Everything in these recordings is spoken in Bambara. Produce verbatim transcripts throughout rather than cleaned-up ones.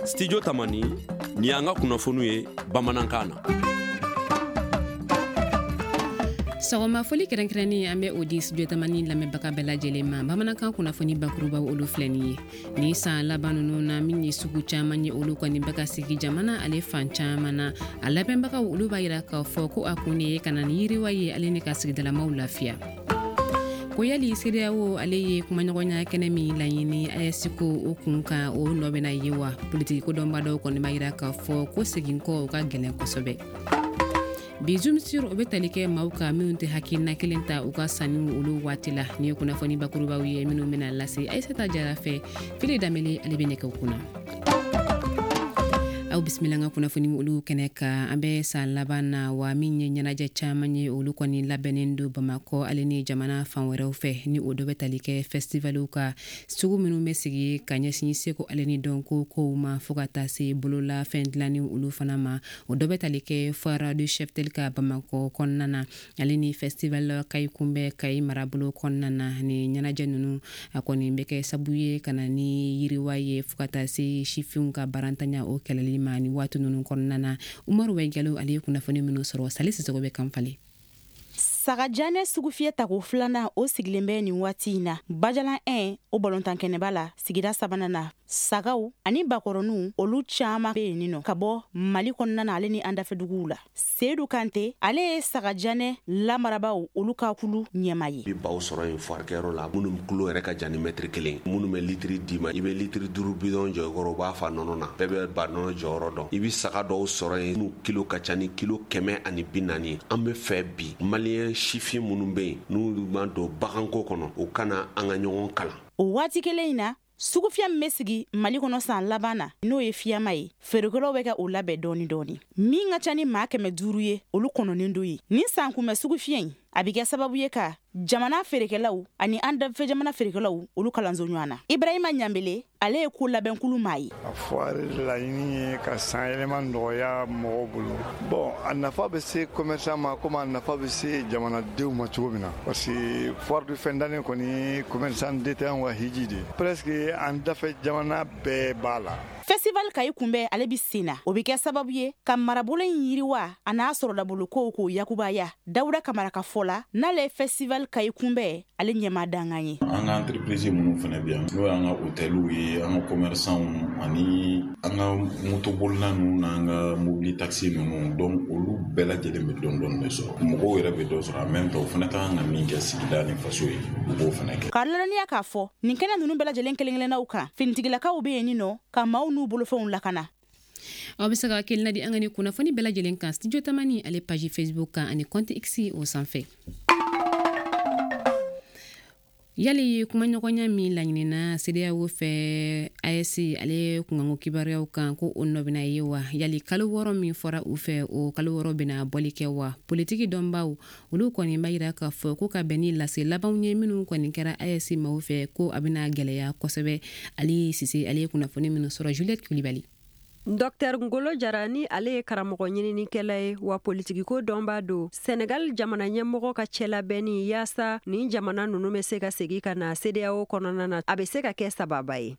Studio Tamani, ni y'an ka kunnafoniw ye bamanankan na. Sɔgɔma foli kɛrɛnkɛrɛnnen, an bɛ o di Studio Tamani lamɛnbaga bɛɛ lajɛlen ma. Bamanankan kunnafoni bakurubaw, olu filɛ nin ye. Ni san laban ninnu na, min ye sugu caman ye, olu kɔni bɛ ka sigi jamana ale fan caman na. A labɛnbagaw, olu b'a yira k'a fɔ ko a kun de ye ka na ni yiriwa ye, ale ni ka sigidalamaw lafiya. Ko yali CEDEAO ale ye kumaɲɔgɔnya kɛnɛ min laɲini A E S ko o kun kan, o nɔ bɛna ye wa? Politiki ko dɔnba dɔw kɔni b'a yira k'a fɔ ko segin kɔ o ka gɛlɛn kosɛbɛ. Bi Zoom sur, o bɛ tali kɛ maaw kan minnu tɛ hakilina kelen ta u ka sanniw olu waati la. Nin ye kunnafoni bakurubaw ye minnu bɛna lase Ayisata Jara fɛ. Fili Danbele, ale bɛ nɛgɛw kunna. Aw bisimila an ka kunnafoni olu kɛnɛ kan. An bɛ san laban na wa, min ye ɲɛnajɛ caman ye, olu kɔni labɛnnen don Bamakɔ ale ni jamana fan wɛrɛw fɛ. Ni o dɔ bɛ tali kɛ festivaliw ka sugu minnu bɛ sigi ka ɲɛsin seko ale ni dɔnko kow ma, fo ka taa se bolola fɛn dilanni olu fana ma. O dɔ bɛ tali kɛ Foire du Cheptel ka Bamakɔ kɔnɔna na, ale ni Festival Kayi kunbɛn Kayi marabolo kɔnɔna na. Ni ɲɛnajɛ ninnu, a kɔni bɛ kɛ sabu ye ka na ni yiriwa ye, fo ka taa se sifinw ka barantanya o kɛlɛli ma ni waati ninnu kɔnɔna na. Umaru Wɛjalo, ale ye kunnafoni minnu sɔrɔ, Sali Sisɔgɔ bɛ kan falen. Sagajanɛ sugufiyɛ tako filanan, o sigilen bɛ nin waati in na Bajalan un, o balontan kɛnɛba la, sigida sabanan na. Sagaw ani bakɔrɔninw, olu caaman be yen nɔ ka bɔ Mali kɔnɔna na, ale ni an dafɛduguw la. Sedu Kante, ale ye sagajanɛ lamarabaw olu ka kulu ɲɛma ye. I baw sɔrɔ yen foirikɛyɔrɔ la, minnu kulo yɛrɛ ka jan ni mɛtiri kelen, minnu bɛ litiri d'i ma, i bɛ litiri duuru bidɔn jɔ i kɔrɔ, u b'a fa nɔnɔ na. Bɛɛ bɛ ba nɔnɔ jɔyɔrɔ dɔn. I bɛ saga dɔw sɔrɔ yen n'u kilo ka ca ni kilo kɛmɛ ani bi naani. An bɛ fɛ bi, maliyɛn sifin minnu bɛ yen n'u ma don baganko kɔnɔ, u kana an ka ɲɔgɔn kalan. O waati kelen in na, sugufiyɛ min bɛ sigi Mali kɔnɔ san laban na, n'o ye fiyama ye, feerekɛlaw bɛ kɛ o labɛn dɔɔni dɔɔni. Min ka ca ni maa kɛmɛ duuru ye, olu kɔnɔnen don ye. Nin san kunbɛ sugufiyɛ in, a bɛ kɛ sababu ye ka jamana feerekɛlaw ani an dafɛ jamana feerekɛlaw olu kalanso ɲɔgɔn na. Ibrahima Ɲanbele, ale ye ko labɛnkulu maa ye. A foire laɲini ye ka san yɛlɛma nɔgɔya mɔgɔw bolo. Bon, a nafa bɛ se commerçant ma komi a nafa bɛ se jamanadenw ma cogo min na, parce que foire de fin d'année kɔni, commerçant détaillant ka hiji de presque, an dafɛ jamana bɛɛ b'a la. Festival Kayi kunbɛn, ale bi sen na. O bɛ kɛ sababu ye ka marabolo in yiriwa, a n'a sɔrɔdabolo kow k'o yakubaya. Dawuda Kamara ka fɔ la, n'ale ye Festival Kayi kunbɛn ale ɲɛma dangan ye. An ka entreprise minnu fana bɛ yan, n'o y'an ka hôteliw ye, an ka commerçants ani an ka motobolila ninnu n'an ka mobili taxi ninnu, donc olu bɛɛ lajɛlen bɛ dɔɔni dɔɔni de sɔrɔ. Mɔgɔw yɛrɛ bɛ dɔ sɔrɔ, en même temps u fana ka kan ka min kɛ sigida ni faso ye, u b'o fana kɛ. K'a ladɔnniya k'a fɔ nin kɛnɛ ninnu bɛɛ lajɛlen kelen kelennaw kan, finitigilakaw bɛ yen nɔ ka maaw n'u bolofɛnw lakana. Aw bɛ se ka hakilina di an ka ni kunnafoni bɛɛ lajɛlen kan Studio Tamani ale page Facebook kan ani compte X o sanfɛ. Yali kumaɲɔgɔnya min laɲinina CEDEAO fɛ A E S ale kunkanko kibaruyaw kan, ko o nɔ bɛna ye wa? Yali kalo wɔɔrɔ min fɔra u fɛ, o kalo wɔɔrɔ bɛna bɔli kɛ wa? Politiki dɔnbaw, olu kɔni b'a yira k'a fɔ ko ka bɛn ni lase labanw ye minnu kɔni kɛra A E S maaw fɛ, ko a bɛna gɛlɛya kosɛbɛ. Ali Sise, ale ye kunnafoni minnu sɔrɔ, Juliette Kulibali. Docteur Ngolo Jara, ni ale ye karamɔgɔ ɲininikɛla ye wa politikiko dɔnbaa don, Senegal jamana ɲɛmɔgɔ ka cɛlabɛnni yaasa nin jamana nunu bɛ se ka segi ka na CEDEAO kɔnɔna na, a bɛ se ka kɛ sababa ye.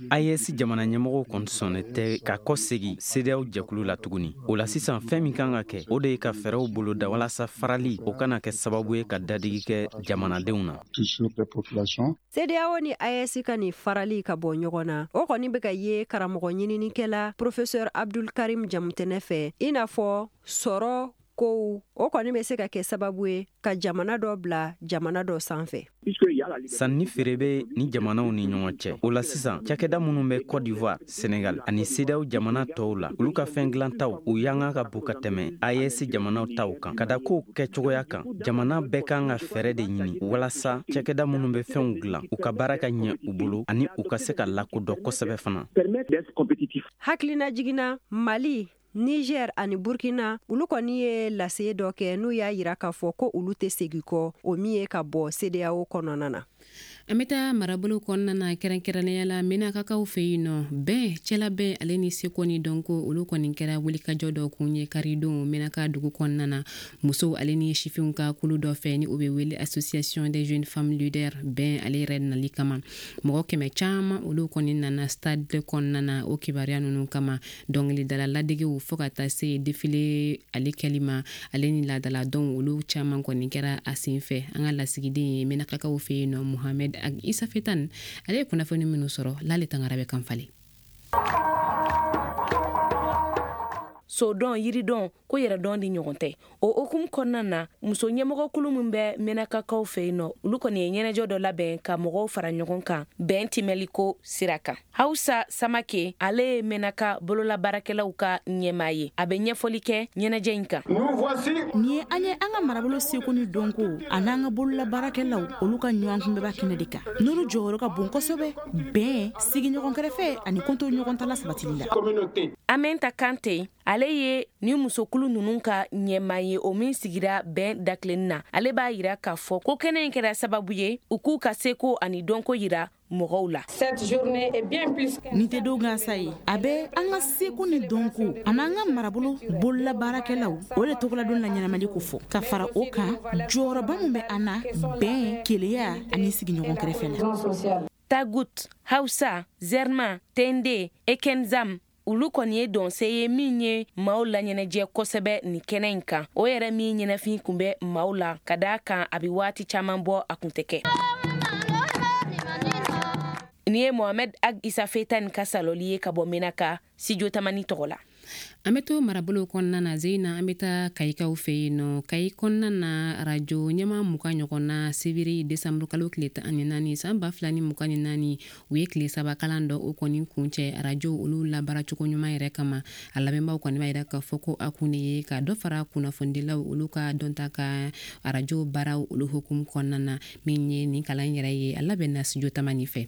A E S jamana ɲɛmɔgɔw kɔni sɔnnen tɛ ka kɔsegi CEDEAO jɛkulu la tuguni. O la sisan, fɛn min kan ka kɛ, o de ye ka fɛɛrɛw boloda walasa farali o kana kɛ sababu ye ka dadigi kɛ jamanadenw na. CEDEAO ni A E S ka nin farali ka bɔ ɲɔgɔn na, o kɔni bɛ ka ye karamɔgɔ ɲininikɛla professeur Abdul Karim Jamutɛnɛ fɛ, i n'a fɔ sɔrɔ kow, o kɔni bɛ se ka kɛ sababu ye ka jamana dɔ bila jamana dɔ sanfɛ. Sanni feere bɛ ni jamanaw ni ɲɔgɔn cɛ. O la sisan, cakɛda minnu bɛ Cote d'Ivoire, Senegal ani CEDEAO jamana tɔw la, olu ka fɛn dilantaw u yanga ka bon ka tɛmɛ A E S jamanaw taw kan. Ka da kow kɛcogoya kan, jamana bɛɛ kan ka fɛɛrɛ de ɲini walasa cakɛda minnu bɛ fɛnw dilan, u ka baara ka ɲɛ u bolo ani u ka se ka lakodɔn kosɛbɛ fana. Hakilina jiginna, Mali, Niger ani Burkina, olu kɔni ye lase dɔ kɛ n'u y'a yira k'a fɔ ko olu tɛ segin kɔ, o min ye ka bɔ CEDEAO kɔnɔna na. An bɛ taa marabolo kɔnɔna na, kɛrɛnkɛrɛnnenya la Menakakaw fɛ yen nɔ. Bɛn, cɛlabɛn ale ni seko ni dɔnko, olu kɔni kɛra wulikajɔ dɔ kun ye karidon Menaka dugu kɔnɔna na, musow ale ni sifinw ka kulu dɔ fɛ ni o bɛ wele Association des jeunes femmes leaders. Bɛn ale yɛrɛ nali kama, mɔgɔ kɛmɛ caman olu kɔni nana stade kɔnɔna na o kibaruya ninnu kama. Dɔnkilidala ladegew, fo ka taa se défilé ale kɛli ma, ale ni laadala dɔnw, olu caman kɔni kɛra a sen fɛ. An ka lasigiden ye Menakakaw fɛ yen nɔ, Mohamed Isa Fetan, ale ye kunnafoni minnu sɔrɔ, Lale Tangara bɛ kan falen. Sodɔn, yiridɔn ko yɛrɛdɔn di ɲɔgɔn tɛ. O hukumu kɔnɔna na, muso ɲɛmɔgɔkulu min bɛ Menakakaw fɛ yen nɔ, olu kɔni ye ɲɛnajɛ dɔ labɛn ka mɔgɔw fara ɲɔgɔn kan bɛn timɛliko sira kan. Hausa Samake, ale ye Menaka bololabaarakɛlaw ka ɲɛmaa ye. A bɛ ɲɛfɔli kɛ ɲɛnajɛ in kan. Nin ye an ye an ka marabolo seko ni dɔnko an'an ka bololabaarakɛlaw, olu ka ɲɔgɔn kunbɛba kɛnɛ de kan, n'olu jɔyɔrɔ ka bon kosɛbɛ bɛn, sigiɲɔgɔn kɛrɛfɛ ani kɔnto ɲɔgɔn tala sabatili la. Amenta Kante, ale ye ni musokulu ninnu ka ɲɛmaa ye, o min sigira bɛn dakilenni na. Ale b'a yira k'a fɔ ko kɛnɛ in kɛra sababu ye u k'u ka seko ani dɔnko yira mɔgɔw la. Nin tɛ don gansan ye, a bɛ an ka seko ni dɔnko an'an ka marabolo bololabaarakɛlaw, o de tɔgɔladon la ɲɛnamali ko fɔ. Ka fara o kan, jɔyɔrɔba min bɛ an na bɛn, keleya ani sigiɲɔgɔn kɛrɛfɛ la. Tagut, Hausa, Zerma, Tende, Ekenzam, olu kɔni ye dɔnse ye min ye maaw laɲɛnajɛ kosɛbɛ nin kɛnɛ in kan. O yɛrɛ min ɲɛnafin kun bɛ maaw la, ka d'a kan a bɛ waati caman bɔ a kun tɛ kɛ. Nin ye Mohamed Ag Isa Fetan ka saloli ye ka bɔ Menaka, Studio Tamani tɔgɔ la. An bɛ to marabolo kɔnɔna na, Zeyina. An bɛ taa Kayikaw fɛ yen nɔ. Kayi kɔnɔna na, arajo ɲɛma mugan ɲɔgɔn na, sibiri desanburu kalo tile tan ani naani san ba fila ni mugan ni naani, u ye tile saba kalan dɔ o kɔni kuncɛ arajo olu labaaracogo ɲuman yɛrɛ kama. A labɛnbaw kɔni b'a yira k'a fɔ ko a kun de ye ka dɔ fara kunnafonidilaw olu ka dɔnta ka arajo baaraw olu hukumu kɔnɔna na. Min ye nin kalan yɛrɛ ye, a labɛnna Studio Tamani fɛ.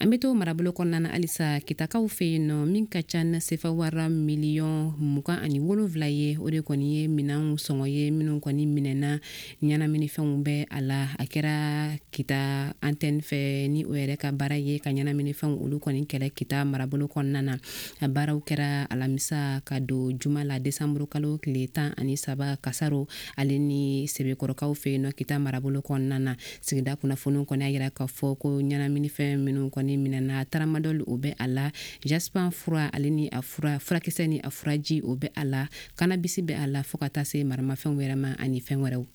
An bɛ to marabolo kɔnɔna na halisa, Kitakaw fɛ yen nɔ. Min ka ca ni sefa wara miliyɔn mugan ani wolonfila ye, o de kɔni ye minɛnw sɔngɔ ye minnu kɔni minɛna. Ɲɛnaminifɛnw bɛ a la. A kɛra Kita antenne fɛ, ni o yɛrɛ ka baara ye ka ɲɛnaminifɛnw olu kɔni kɛlɛ Kita marabolo kɔnɔna na. A baaraw kɛra alamisa ka don juma la, desanburu kalo tile tan ani saba, Kasaro ale ni Sebekɔrɔkaw fɛ yen nɔ, Kita marabolo kɔnɔna na. Sigida kunnafoniw kɔni y'a yira k'a fɔ ko ɲɛnaminifɛn minnu kɔni minɛna, tramadol, o bɛ a la, jaspan fura ale ni a fura furakisɛ ni a furaji, o bɛ a la, cannabis bɛ a la, fo ka taa se maramafɛnw wɛrɛ ma ani fɛn wɛrɛw.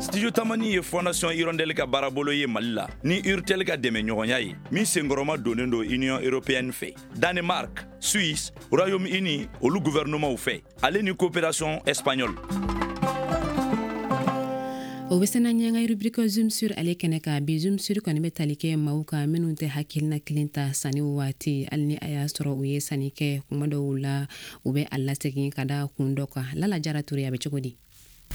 Studio Tamani ye Fondation Hirondelle ka baarabolo ye Mali la ni Urtel ka dɛmɛ ɲɔgɔnya ye, min senkɔrɔma donnen don Union européenne fɛ, Danemark, Suisse, Royaume-Uni olu gouvernement fɛ, ale ni coopération espagnole. O bɛ sena ɲɛ ka rubrique Zoom sur ale kɛnɛ kan bi. Zoom sur kɔni bɛ tali kɛ maaw kan minnu tɛ hakilina kelen ta sanni waati, hali ni a y'a sɔrɔ u ye sanni kɛ. Kuma dɔw la, u bɛ a lasegin ka da kun dɔ kan. Lala Jara Ture, a bɛ cogo di?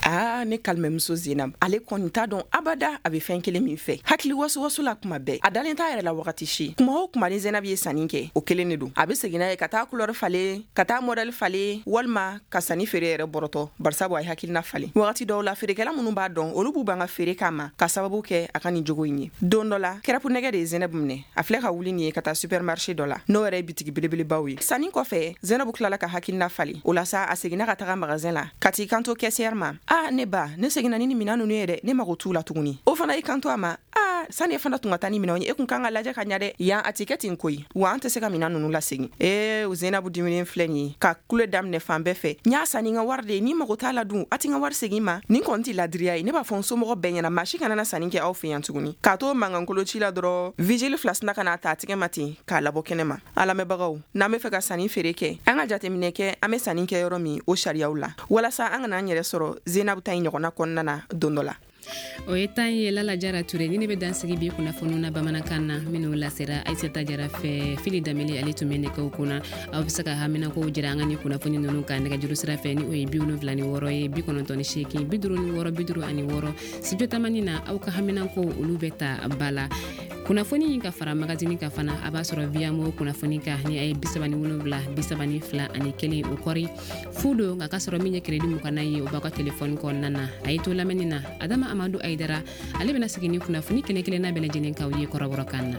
Aa, ne kalimamuso Zenab, ale kɔni t'a dɔn abada a bɛ fɛn kelen min fɛ. Hakili wasuwasu la kuma bɛɛ, a dalen t'a yɛrɛ la wagati si. Kuma o kuma ni Zenab ye sanni kɛ, o kelen de don, a bɛ segin n'a ye ka taa couleur falen, ka taa modèle falen, walima ka sanni feere yɛrɛ bɔrɔtɔ, barisabu a ye hakilina falen. Wagati dɔw la, feerekɛla minnu b'a dɔn, olu b'u ban ka feere k'a ma ka sababu kɛ a ka nin jogo in ye. Don dɔ la, kɛrɛpu nɛgɛ de ye Zenab minɛ. A filɛ ka wuli nin ye ka taa supermarché dɔ la, n'o yɛrɛ ye bitigi belebelebaw ye. Sanni kɔfɛ, Zenab tilala ka hakilina falen. O la sa, a seginna ka taga magasin la ka t'i kanto caissière ma: "A ne ba, ne seginna ni nin minan ninnu ye dɛ, ne mago t'u la tuguni." O fana y'i kanto a ma: "A sani e fana tun ka taa ni minɛnw ye, e kun kan ka lajɛ ka ɲa dɛ. Yan a ti kɛ ten koyi, wa an tɛ se ka minan ninnu lasegin." Ee, Zenabu diminen filɛ nin ye ka kule daminɛ fan bɛɛ fɛ: "N y'a san ni n ka wari de ye, ni mago t'a la dun, a ti n ka wari segin ma. Nin kɔni ti ladiriya ye. Ne b'a fɔ n somɔgɔ bɛɛ ɲɛna, maa si kana na sanni kɛ aw fɛ yan tuguni." K'a to mankankolo ci la dɔrɔn, vigile fila sina ka n'a ta a tigɛ ma ten k'a labɔ kɛnɛ ma. A lamɛnbagaw, n'an bɛ fɛ ka sanni feere kɛ, an ka jateminɛ kɛ an bɛ sanni kɛ yɔrɔ min, o sariyaw la, walasa an kana an yɛrɛ sɔrɔ Zenabu ta in ɲɔgɔnna kɔnɔna na don dɔ la. O ye tan ye, Lala Jara Ture. Ni ne bɛ dan sigi bi kunnafoniw na bamanankan na minnu lasera Aisata Jara fɛ. Fili Damili, ale tun bɛ nɛgɛw kunna. Aw bɛ se ka haminakow jira an ka ni kunnafoni ninnu kan nɛgɛjuru sira fɛ, ni o ye bi wolonfila ni wɔɔrɔ ye, bi kɔnɔntɔn ni seegin, bi duuru ni wɔɔrɔ, bi duuru ani wɔɔrɔ. Studio Tamani na, aw ka haminankow olu bɛ ta ba la. Kunnafoni in ka fara magazini kan fana, a b'a sɔrɔ Viamo kunnafoni kan ni a ye bisaba ni wolonwula bisaba ni fila ani kelen o kɔri fu don, nka k'a sɔrɔ min ye crédit muganna ye, o b'aw ka telefɔni kɔnɔna na. A ye to lamɛnni na. Adama Amadu Ayidara, ale bɛna sigi ni kunnafoni kelen kelenna bɛɛ lajɛlen k'aw ye kɔrɔbɔrɔkan na.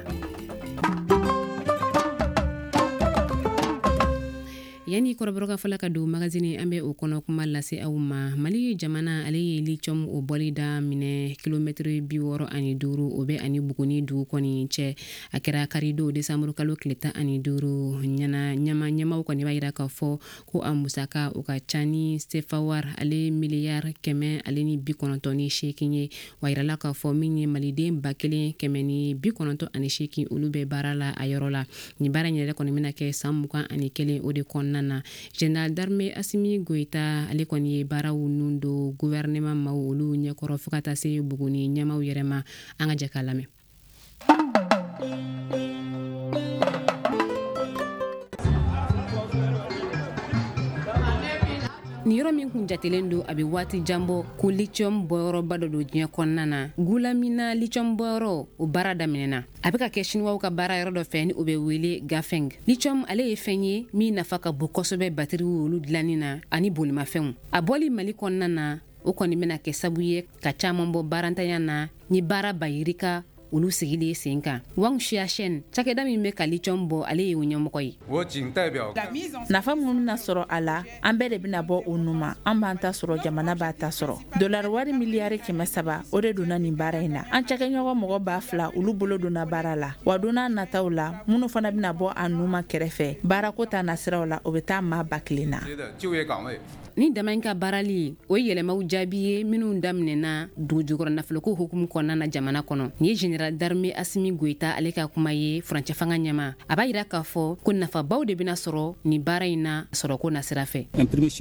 Yanni kɔrɔbɔrɔkan fɔla ka don magazini, an bɛ o kɔnɔ kuma lase aw ma. Mali jamana ale ye lithium o bɔli daminɛ kilomɛtiri bi wɔɔrɔ ani duuru, o bɛ ani Buguni dugu kɔni cɛ. A kɛra karidon desanburu kalo tile tan ani duuru. Ɲana ɲama ɲɛmaw kɔni b'a yira k'a fɔ ko a musaka o ka ca ni sefawar ale miliyari kɛmɛ ale ni bi kɔnɔntɔn ni seegin ye. Wa yirala k'a fɔ min ye maliden ba kelen kɛmɛ ni bi kɔnɔntɔn ani seegin, olu bɛ baara la a yɔrɔ la. Nin baara in yɛrɛ kɔni bɛna kɛ san mugan ani kelen o de kɔnɔna na. Général d'armée Assimi Goïta ale kɔni ye baaraw nun don gouvernement maaw olu ɲɛkɔrɔ fo ka taa se Buguni ɲɛmaw yɛrɛ ma. An ka jɛ k'a lamɛn. Nin yɔrɔ min kun jatelen don a bɛ waati jan bɔ ko lithium bɔyɔrɔba dɔ don diɲɛ kɔnɔna na, Gulamina lithium bɔyɔrɔ o baara daminɛna. A bɛ ka kɛ Siniwaw ka baara yɔrɔ dɔ fɛ ni o bɛ wele Gafeng. Lithium ale ye fɛn ye min nafa ka bon kosɛbɛ batiriw olu dilanni na ani bolimafɛnw. A bɔli Mali kɔnɔna na, o kɔni bɛna kɛ sabu ye ka caman bɔ baarantanya na ni baara bayirika olu sigilen sen kan. Wang Xiachen, cakɛda min bɛ ka lithium bɔ, ale ye o ɲɛmɔgɔ ye. Nafa minnu bɛna sɔrɔ a la, an bɛɛ de bɛna bɔ o nu ma. An b'an ta sɔrɔ, jamana b'a ta sɔrɔ. Dolari wari miliyari kɛmɛ saba o de donna nin baara in na. An cakɛɲɔgɔn mɔgɔ ba fila olu bolo donna baara la. Wa don n'a nataw la, minnu fana bɛna bɔ a nu ma kɛrɛfɛ, baarako ta nasiraw la, o bɛ taa maa ba kelen na. Ni dama in ka baarali, o ye yɛlɛmaw jaabi ye minnu daminɛna dugujukɔrɔ nafoloko hukumu kɔnɔna na jamana kɔnɔ. Nin ye général d'armée Assimi Goïta ale ka kuma ye furancɛ fanga ɲɛma. A b'a yira k'a fɔ ko nafabaw de bɛna sɔrɔ nin baara in na sɔrɔko nasira fɛ.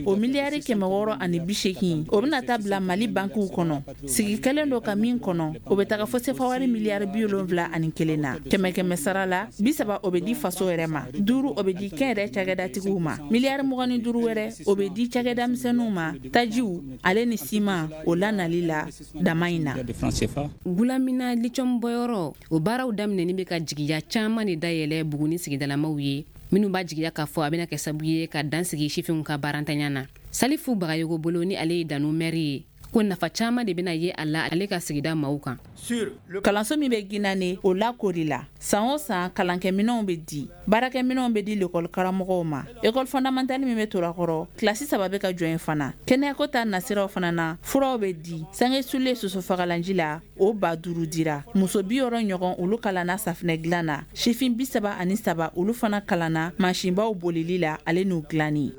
O miliyari kɛmɛ wɔɔrɔ ani bi seegin, o bɛna taa bila Mali bankiw kɔnɔ. Sigi kɛlen don ka min kɔnɔ, o bɛ taga fo sefawari miliyari bi wolonwula ani kelen na. Kɛmɛ kɛmɛ sara la, bi saba o bɛ di faso yɛrɛ ma, duuru o bɛ di kɛnyɛrɛ cakɛdatigiw ma, miliyari mugan ni duuru wɛrɛ o bɛ di cakɛda misɛnninw ma, tajiw ale ni siman o lanali la dama in na. Gulamina lithium bɔyɔrɔ o baaraw daminɛni bɛ ka jigiya caman de dayɛlɛ Buguni sigidalamaw ye, minnu b'a jigiya k'a fɔ a bɛna kɛ sababu ye ka dan sigi sifinw ka baarantanya na. Salifu Bagayogo bolo, ni ale ye Danu mɛri ye, ko nafa caman de bɛna ye a la ale ka sigida maaw kan. Kalanso min bɛ Ginane, o lakori la. San o san kalankɛminɛnw bɛ di, baarakɛminɛnw bɛ di lekɔli karamɔgɔw ma. École fondamentale min bɛ Torakɔrɔ, kilasi saba bɛ ka jɔ yen fana. Kɛnɛyako ta nasiraw fana na, furaw bɛ di. Sange sulen sosofagalanji la, o ba duuru dira. Muso bi wɔɔrɔ ɲɔgɔn olu kalanna safinɛ dilan na. Sifin bi saba ani saba olu fana kalanna mansinbaw bolili la ale n'u dilanni.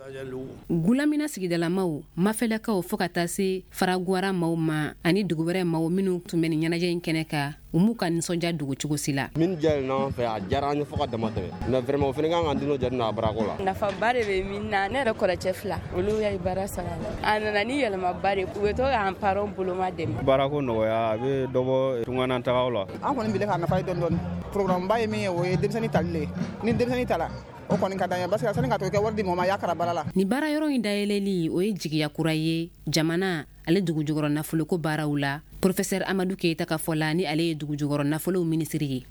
Gulamina sigidalamaw, Mafɛlɛkaw fo ka taa se Faragwara maaw ma ani dugu wɛrɛ maaw minnu tun bɛ nin ɲɛnajɛ in kɛnɛ kan, u m'u ka nisɔndiya dogo cogo si la. Min diyara n'an fɛ, a diyara an ye fo ka dama tɛmɛ. Mais vraiment o fana kan k'an dino jate n'a baarako la. Nafaba de bɛ min na, ne yɛrɛ kɔrɔcɛ fila olu ye baara sɔrɔ a la. A nana ni yɛlɛmaba de, u bɛ to k'an parents boloma dɛmɛ. Baarako nɔgɔya, a bɛ dɔ bɔ tunganatagaw la. An kɔni bile k'a nafa ye dɔɔni dɔɔni. Programme ba ye min ye, o ye denmisɛnnin tali le ye. Ni denmisɛnnin tala, o kɔni ka d'an ye parce que sani ka to kɛ wari di mɔgɔ ma, a y'a kara baara la. Nin baara yɔrɔ in dayɛlɛli, o ye jigiya kura ye jamana ale dugujukɔrɔ nafoloko baaraw la. Professeur Amadou Keita ka fɔ la, ni ale ye dugujukɔrɔ nafolow minisiri ye.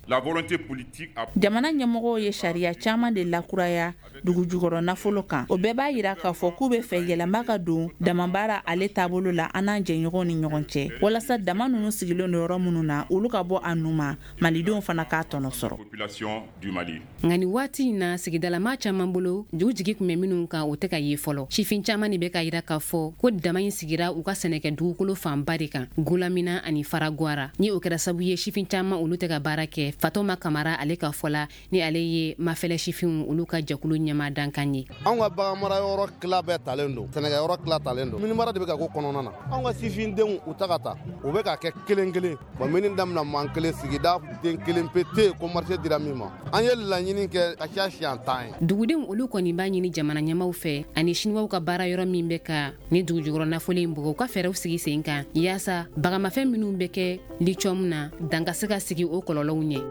Jamana ɲɛmɔgɔw ye sariya caman de lakuraya dugujukɔrɔ nafolo kan. O bɛɛ b'a yira k'a fɔ k'u bɛ fɛ yɛlɛma ka don damabaara ale taabolo la an n'an jɛɲɔgɔnw ni ɲɔgɔn cɛ, walasa dama ninnu sigilen don yɔrɔ minnu na, olu ka bɔ a nu ma, malidenw fana k'a tɔnɔ sɔrɔ. Nka nin waati in na, sigidalamaa caman bolo, u jigi tun bɛ minnu kan, o tɛ ka ye fɔlɔ. Sifin caman de bɛ ka yira k'a fɔ ko dama in sigira u ka sɛnɛkɛ dugukolo fanba de kan, Gulamina ani Faragwara. Ni o kɛra sababu ye sifin caman olu tɛ ka baara kɛ. Fatoma Kamara ale ka fɔ la, ni ale ye Mafɛlɛ sifinw olu ka jɛkulu ɲɛmaa dankan ye. Anw ka baganmara yɔrɔ tila bɛɛ talen don, sɛnɛkɛ yɔrɔ tila talen don, minimara de bɛ ka ko kɔnɔna na. Anw ka sifindenw u ta ka taa, u bɛ ka kɛ kelen kelen. Bon, mini daminɛ man kelen, sigida den kelen pe tɛ yen ko marché dira min ma. An ye laɲini kɛ ka ca siɲɛ tan ye. Dugudenw olu kɔni b'a ɲini jamana ɲɛmaw fɛ ani Siniwaw ka baara yɔrɔ min bɛ ka ni dugujukɔrɔ nafolo in bɔ, u ka fɛɛrɛw sigi sen kan yaasa bagamafɛn minnu bɛ kɛ lithium na, dan ka se ka sigi o kɔlɔlɔw ɲɛ.